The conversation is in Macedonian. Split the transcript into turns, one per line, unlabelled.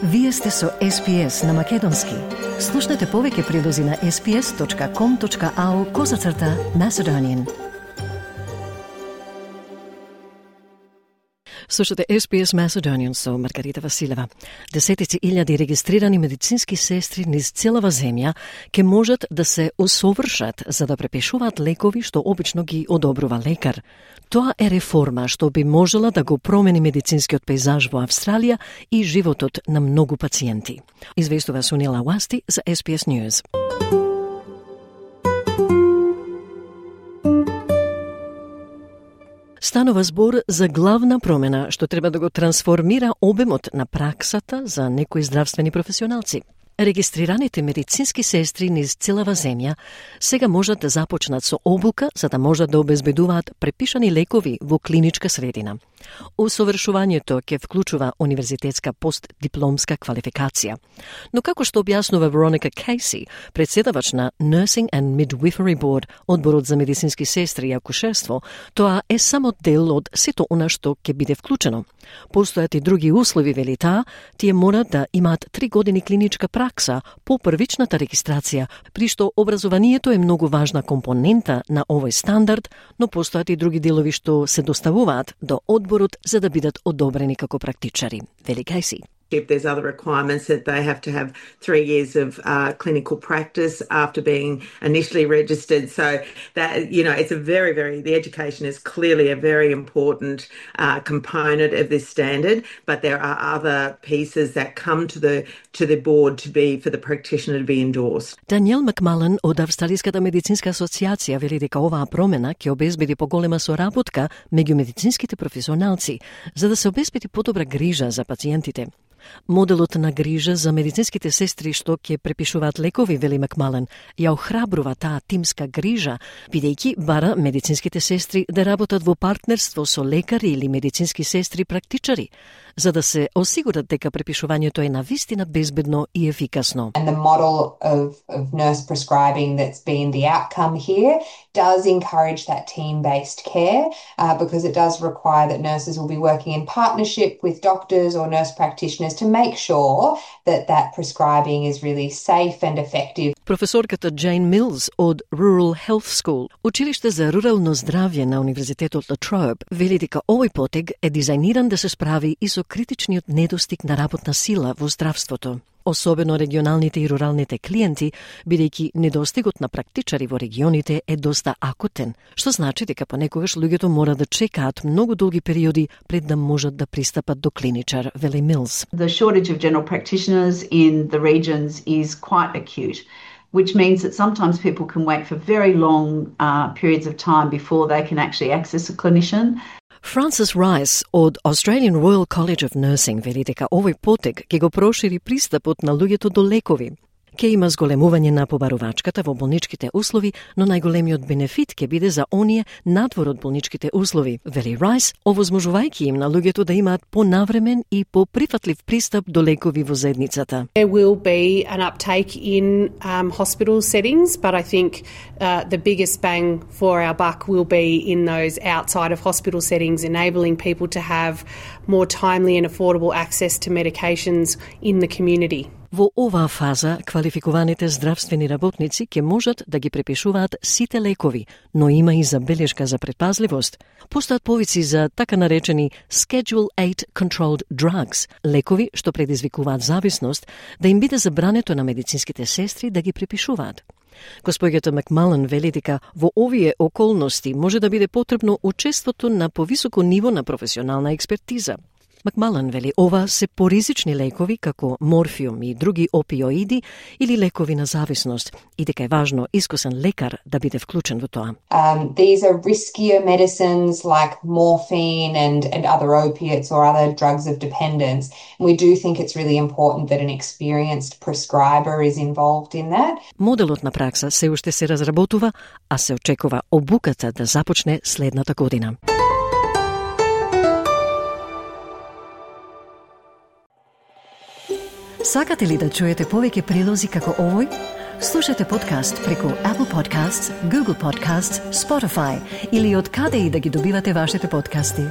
Вие сте со SPS на Македонски. Слушнете повеќе прилози на sps.com.au/Macedonian. Слушате SPS Macedonian со Маргарита Василева. Десетици илјади регистрирани медицински сестри низ целава земја ке можат да се усовршат за да препишуваат лекови што обично ги одобрува лекар. Тоа е реформа што би можела да го промени медицинскиот пейзаж во Австралија и животот на многу пациенти. Известува Сунила Уасти за SPS News. Станува збор за главна промена што треба да го трансформира обемот на праксата за некои здравствени професионалци. Регистрираните медицински сестри низ целава земја сега можат да започнат со обука за да можат да обезбедуваат препишани лекови во клиничка средина. Усовршувањето ќе вклучува универзитетска постдипломска квалификација. Но како што објаснува Veronica Casey, председавач на Nursing and Midwifery Board, одборот за медицински сестри и акушерство, тоа е само дел од сето она што ќе биде вклучено. Постојат и други услови, вели таа, тие морат да имаат 3 години клиничка пракса по првичната регистрација, при што образованието е многу важна компонента на овој стандард, но постојат и други делови што се доставуваат до одборот за да бидат одобрени како практичари. Вели Casey.
If there's other requirements that they have to have 3 years of clinical practice after being initially registered. So that, it's the education is clearly a very important component of this standard, but there are other pieces that come to the board for the practitioner to be endorsed.
Даниел Макмален од Австралиската медицинска асоциација вели дека оваа промена ќе обезбеди поголема соработка меѓу медицинските професионалци, за да се обезбеди подобра грижа за пациентите. Моделот на грижа за медицинските сестри што ќе препишуваат лекови, вели Макмален, ја охрабрува таа тимска грижа, бидејќи бара медицинските сестри да работат во партнерство со лекари или медицински сестри практичари, за да се осигурат дека препишувањето е навистина безбедно и ефикасно.
And the model of nurse prescribing that's been the outcome here does encourage that team-based care because it does require that nurses will be working in partnership with doctors or nurse practitioners to make sure that prescribing is really safe and effective.
Професорката Джейн Милс од Rural Health School, училиште за рурално здравје на Универзитетот Ла Троеб, вели дека овој потег е дизајниран да се справи и со критичниот недостиг на работна сила во здравството. Особено регионалните и руралните клиенти, бидејќи недостигот на практичари во регионите е доста акутен, што значи дека понекогаш луѓето мора да чекаат многу долги периоди пред да можат да пристапат до клиничар, вели Милс.
The shortage of general practitioners in the regions is quite acute, which means that sometimes people can wait for very long periods of time before they can actually access a clinician.
Francis Rice од Australian Royal College of Nursing вели дека овој потег ќе го прошири пристапот на луѓето до лекови. Ке има зголемување на побарувачката во болничките услови, но најголемиот бенефит ќе биде за оние надвор од болничките услови, вели Райс, овозможувајќи им на луѓето да имаат понавремен и поприфатлив пристап до лекови во заедницата.
There will be an uptake in hospital settings, but I think the biggest bang for our buck will be in those outside of hospital settings, enabling people to have more timely and affordable access to medications in the community.
Во оваа фаза, квалификуваните здравствени работници ќе можат да ги препишуваат сите лекови, но има и забелешка за предпазливост. Постојат повици за така наречени Schedule 8 Controlled Drugs, лекови што предизвикуваат зависност, да им биде забрането на медицинските сестри да ги препишуваат. Госпоѓата Макмален вели дека во овие околности може да биде потребно учеството на повисоко ниво на професионална експертиза. Макмален вели ова се поризични лекови како морфиум и други опиоиди или лекови на зависност и дека е важно искусен лекар да биде вклучен во тоа.
These are riskier medicines like morphine and other opiates or other drugs of dependence. We do think it's really important that an experienced prescriber is involved in that.
Моделот на пракса се уште се разработува, а се очекува обуката да започне следната година. Сакате ли да чуете повеќе прилози како овој? Слушате подкаст преку Apple Podcasts, Google Podcasts, Spotify или од каде и да ги добивате вашите подкасти.